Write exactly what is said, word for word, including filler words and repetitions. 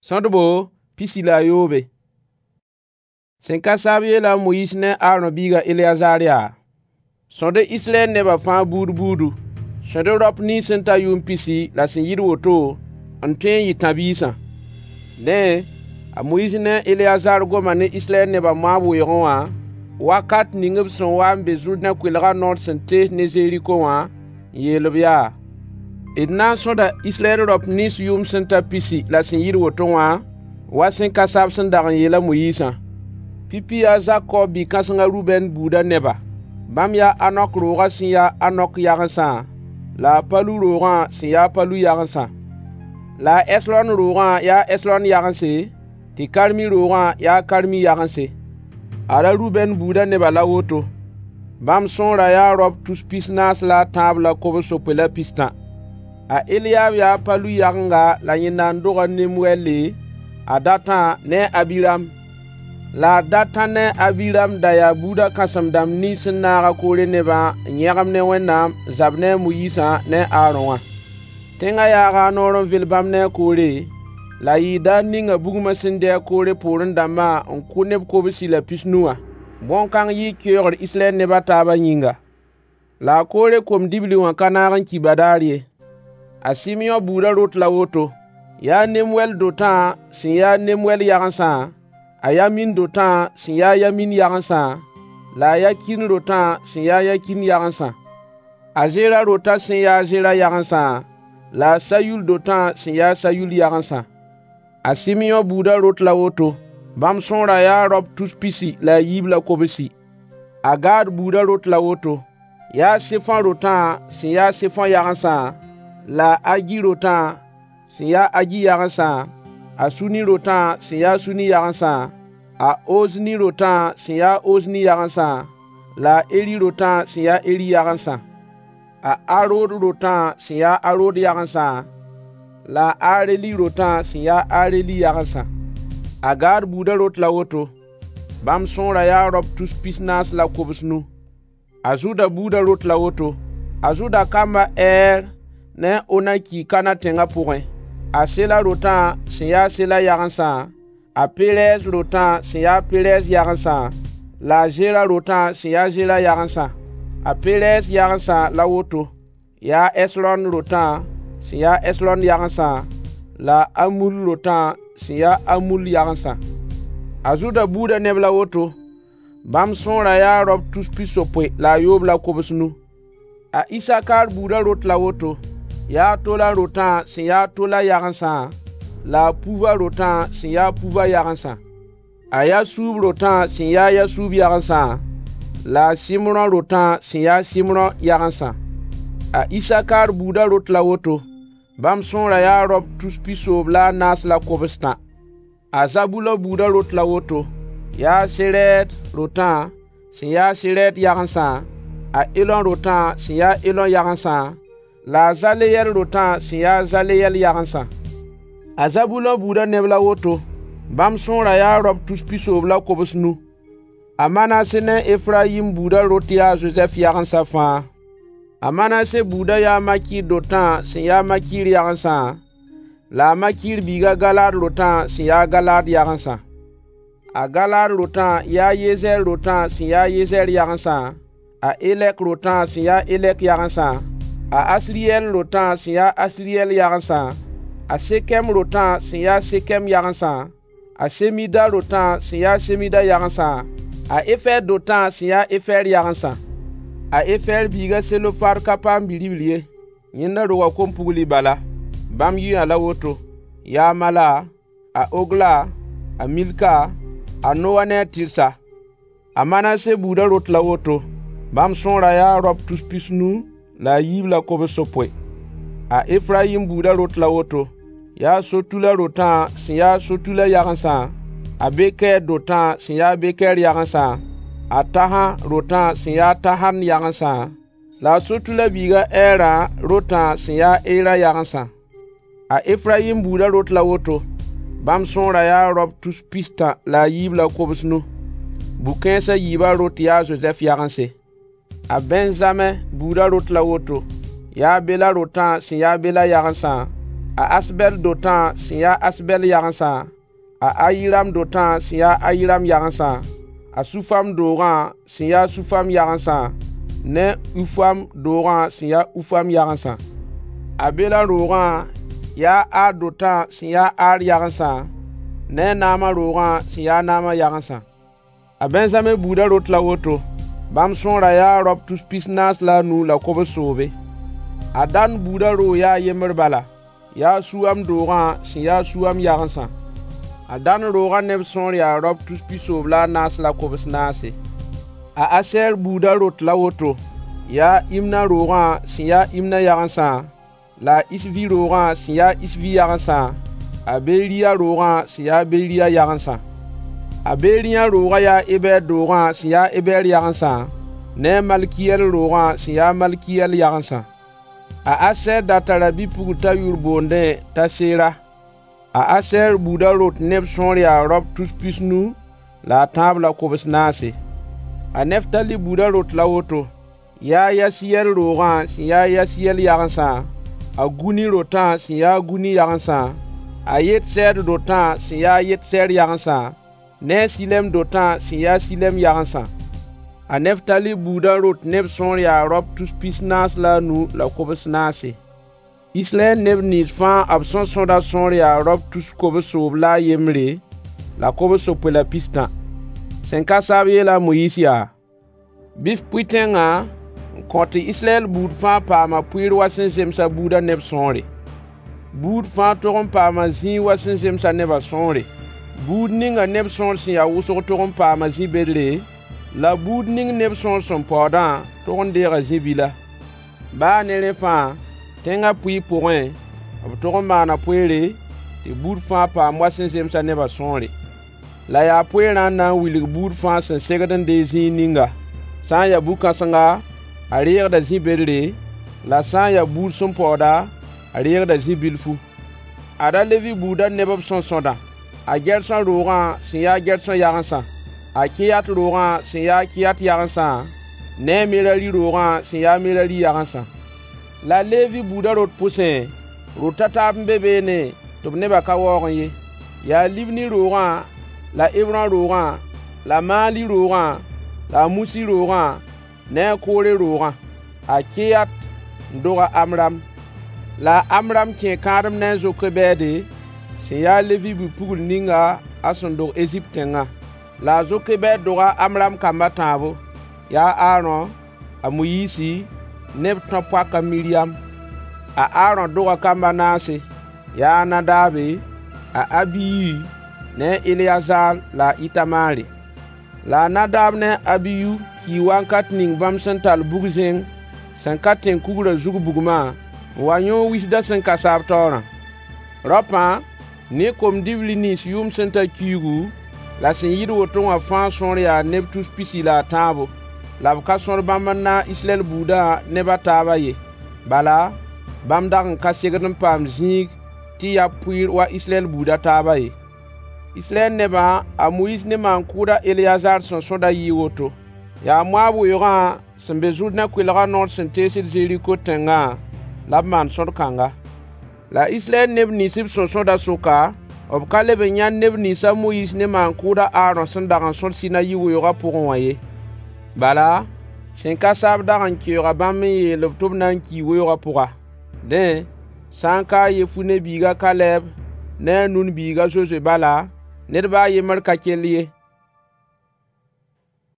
Sõdbo pisi la a yoobe. Sẽn ka saab yeela a Moyiis ne a Aarõ biig a Eleyazaar yaa: Sõd-y Israyɛl nebã fãa buud buudu. Sõd-y raop nins sẽn ta yʋʋm pisi la sẽn yɩɩd woto n tõe n yɩ tãb-biisã. Dẽ, a Moyiis ne a Eleyazaar goma ne Israyɛl nebã Moab weoogẽ wã, wakat ning b sẽn wa n be Zʋrdẽ koelgã noor sẽn tees ne Zeriko wã, n yeel-b yaa: D na n sõda Israyɛl raop nins yʋʋm sẽn ta pisi la sẽn yɩɩd woto wã, wa sẽn ka saab sẽn dag n yeel a Moyiisã. Pipi yaa a Zakob bi-kãseng a Rubɛn buudã neba. Bãmb yaa a Hanok roogã sẽn ya a Hanok yagensã, la a Palu roogã sẽn ya a Palu yagensã. La a Hɛsrɔn roogã yaa Hɛsrɔn yagense, tɩ Karmi roogã ya a Karmi yagense. Ad-a Rubɛn buudã nebã la woto. Bãmb sõorã yaa raop tus pis-naas la a tãab la kobs-yopoe la pistã. A Eliab yaa a Palu yagenga la yẽnda n dog a Nemuɛɛle, a Datã ne a Abiram. La a Datã ne a Abiram da yaa buudã kãsem-dãmb nins sẽn naag a Koore nebã n yẽgem ne Wẽnnaam n zab ne a Moyiisã ne a Aarõ wã. Tẽngã yaaga a noor n vel bãmb ne a Koore, la a yɩɩ daar ninga bugmã sẽn dɩ a Koore poorẽ dãmbã n kʋ neb kobsi la pis-nu wã. Bõn-kãng yɩɩ keoogr Israyɛl neb a taabã yĩnga. La a Koore kom-dibli wã ka naag n ki badaar ye. A Sɩmyõ buudã rot la woto: yaa Nemuɛl dotã sẽn ya a Nemuɛl yagensã, a Yamin dotã sẽn ya a Yamin yagensã, la a Yakin rotã sẽn ya a Yakin yagensã. A Zera rotã sẽn ya a Zera yagensã, la a Sayul dotã sẽn ya a Sayul yagensã. A Sɩmyõ buudã rot la woto: bãmb sõorã yaa raop tus pisi la a yiib la kobsi. A Gad buudã rot la woto: yaa Sefõ rotã sẽn ya a Sefõ yagensã, la a Agi rotã sẽn ya a Agi yagensã, a Suni rotã sẽn ya a Suni yagensã, a Ozni rotã sẽn ya a Ozni yagensã, la a Eri rotã sẽn ya a Eri yagensã. A Arod rotã sẽn ya a Arod yagensã, la a Areli rotã sẽn ya a Areli yagensã. A Gad buudã rot la woto: bãmb sõorã yaa raop tus pis-naas la kobs-nu. A Zʋda buudã rot la woto: A Zʋda kamb a Ɛɛr ne a Onan kii Kanã tẽngã pʋgẽ. A Sela rotã sẽn ya a Sela yagensã, a Perɛs rotã sẽn ya a Perɛs yagensã, la a Zera rotã sẽn ya a Zera yagensã. A Perɛs yagensã la woto: yaa Hɛsrɔn rotã sẽn ya a Hɛsrɔn yagensã, la a Amul rotã sẽn ya a Amul yagensã. A Zʋda buudã neb la woto: bãmb sõorã yaa raop tus pisopoe la a yoob la kobs-nu. A Isakar buudã rot la woto: yaa Tola rotã sẽn ya a Tola yagensã, la a Puva rotã sẽn ya a Puva yagensã. A Yasuub rotã sẽn ya a Yasuub yagensã, la a Sɩmrõ rotã sẽn ya a Sɩmrõ yagensã. A Isakar buudã rot la woto: bãmb sõorã yaa raop tus pisoob la a naas la kobstã. A Zabulõ buudã rot la woto: yaa a Serɛd rotã sẽn ya a Serɛd yagensã, a Elõ rotã sẽn ya a Elõ yagensã, la a Zaleyɛl rotã sẽn ya a Zaleyɛl yagensã. A Zabulõ buudã neb la woto: bãmb sõorã yaa raop tus pisoob la kobs-nu. A Manase ne a Efrayim buudã rot yaa a Zozɛf yagensã fãa. A Manase buudã yaa a Makir dotã sẽn ya a Makir yagensã, la a Makir biig a Galaad rotã sẽn ya a Galaad yagensã. A Galaad rotã yaa a Yezɛɛr rotã sẽn ya a Yezɛɛr yagensã, a Elɛk rotã sẽn ya a Elɛk yagensã, a Asriyɛl rotã sẽn ya a Asriyɛl yagensã, a Sekɛm rotã sẽn ya a Sekɛm yagensã, a Semida rotã sẽn ya a Semida yagensã, a Efɛɛr dotã sẽn ya a Efɛɛr yagensã. A Efɛɛr biig a Selofad ka paam bi-ribl ye, yẽnda roga kom-pugli bala. Bãmb yʋyã la woto: yaa Mala, a Ogla, a Milka, a Noa ne a Tɩrsa. A Manase buudã rot la woto: bãmb sõorã yaa raop tus pis-nu la a yiib la kobs-yopoe. A Efrayim buudã rot la woto: yaa Sotula rotã sẽn ya a Sotula yagensã, a Bekɛɛr dotã sẽn ya a Bekɛɛr yagensã, a Tahã rotã sẽn ya a Tahan yagensã, la a Sotula biig a Ɛɛrã rotã sẽn ya a Ɛɛra yagensã. A Efrayim buudã rot la woto: bãmb sõorã yaa raop tus pistã la a yiib la kobs-nu. Bu-kãens a yiibã rot yaa a Zozɛf yagense. A Bɛnzamɛ buudã rot la woto: yaa a Bela rotã sẽn ya a Bela yagensã, a Asbɛl dotã sẽn ya Asbɛl yagensã, a Ayiram dotã sẽn ya Ayiram yagensã, a Sufam doogã sẽn ya Sufam yagensã, ne Ufam doogã sẽn ya Ufam yagensã. A Bela roogã yaa Ar dotã sẽn ya Ar yagensã, ne a Naama roogã sẽn ya Naama yagensã. A Bɛnzame buudã rot la woto: Bãmb sõorã yaa raop tus pis-naas la a nu la kobs-soobe. A Dan buudã roog yaa yembr bala, yaa Suam doogã sẽn ya Suam yagensã. A Dan roogã neb sõor yaa raop tus pisoob la a naas la kobs naase. A Asɛɛr buudã rot la woto: Yaa Imna roogã sẽn ya Imna yagensã, la a Isvi roogã sẽn ya Isvi yagensã, a Beriya roogã sẽn ya Beriya yagensã. A Beriya roogã yaa Ebɛɛr doogã sẽn ya Ebɛɛr yagensã, ne a Malkiyɛl roogã sẽn ya Malkiyɛl yagensã. A Asɛɛr da tara bi-pugl t'a yʋʋr boondẽ t'a Sera. A Asɛɛr buudã rot neb sõor yaa raop tus pis-nu la a tãab la kobs naase. A Neftali buudã rot la woto: Yaa Yasiyɛl roogã sẽn ya Yasiyɛl yagensã, a Guni rotã sẽn ya Guni yagensã, a Yetsɛɛr dotã sẽn ya Yetsɛɛr yagensã, ne a Silɛm dotã sẽn ya Silɛm yagensã. A Neftali buudã rot neb sõor yaa raop tus pis-naas la a nu la kobs naase. Israyɛl neb nins fãa b sẽn sõdã sõor yaa raop tus kobs-soob la a yembre, la kobs-yopoe la pistã. Sẽn ka saab yeela a Moyiis yaa: Bɩ f pʋɩ tẽngã n kõ tɩ Israyɛl buud fãa paama pʋɩɩr wa sẽn zemsa buudã neb sõore. Buud fãa tog n paama zĩig wa sẽn zemsa nebã sõore. Buud ninga neb sõor sẽn ya wʋsg tog n paama zĩ-bedre, la buud ning neb sõor sẽn paoodã tog n deega zĩ-bila. Baa ne rẽ fãa, tẽngã pʋɩɩr pʋgẽ, b tog n maana poeere, tɩ buud fãa paam wa sẽn zemsa nebã sõore. La yaa poeerã n na n wilg buud fãa sẽn segd n deeg zĩig ninga. Sã n ya bu-kãsenga, a reegda zĩ-bedre, la sã n ya buud sẽn paooda, a reegda zĩ-bilfu. Ad-a Levi buudã neb b sẽn sõdã: A Gɛrsõ roogã sẽn ya a Gɛrsõ yagensã, a Keyat roogã sẽn ya a Keyat yagensã, ne a Merari roogã sẽn ya a Merari yagensã. La Levi buudã rot pʋsẽ, rot a taab n be beene tɩ b nebã ka waoogẽ ye. Yaa Libni roogã la a Hebrõ roogã la a Maali roogã la a Musi roogã ne a Koore roogã. A Keyat n dog a Amram. La a Amram kẽe kãadem ne a Zokebɛɛde, sẽn ya a Levi bi-pugl ninga a sẽn dog Ezipt tẽngã. La a Zokebɛɛd doga a Amram kamb a tãabo: Yaa a Aarõ, a Moyiisi ne b tão-poak a Miriyam. A Aarõ doga kamb a naase: Yaa a Nadaabe, a Abiyu ne a Eleyazaar la a Ɩtamaare. La a Nadaab ne a Abiyu kii wakat ning bãmb sẽn tall bug-zẽng sẽn ka tẽn-kugrã zug bugmã n wa yõog wisdã sẽn ka saab taoorã. Raopã, ne kom-dibli nins yʋʋm sẽn ta kiuugu la sẽn yɩɩd woto wã fãa sõor yaa neb tus pisi la a tãabo. La b ka sõd bãmb n naag Israyɛl buudã neb a taabã ye. Bala, bãmb dag n ka segd n paam zĩig tɩ ya pʋɩɩr wa Israyɛl buud a taabã ye. Israyɛl nebã a Moyiis ne maan-kʋʋd a Eleyazaar sẽn sõdã yɩɩ woto: Yaa Moab weoogã sẽn be Zʋrdẽ koɛɛgã noor sẽn teesd Zeriko tẽngã la b maan sõd kãnga. La Israyɛl neb nins b sẽn sõdã sʋka, b ka leb n yãnd neb nins a Moyiis ne maan-kʋʋd a Aarõ sẽn dag n sõd Sinayi weoogã pʋgẽ wã ye. Bala, sẽn ka saab dag n keooga bãmb n yeel-b tɩ b na n kii weoogã pʋga. Dẽ, sã n ka a Yefune biig a Kalɛb ne a Nun biig a Zozoe bala, ned ba a yembr ka kell ye.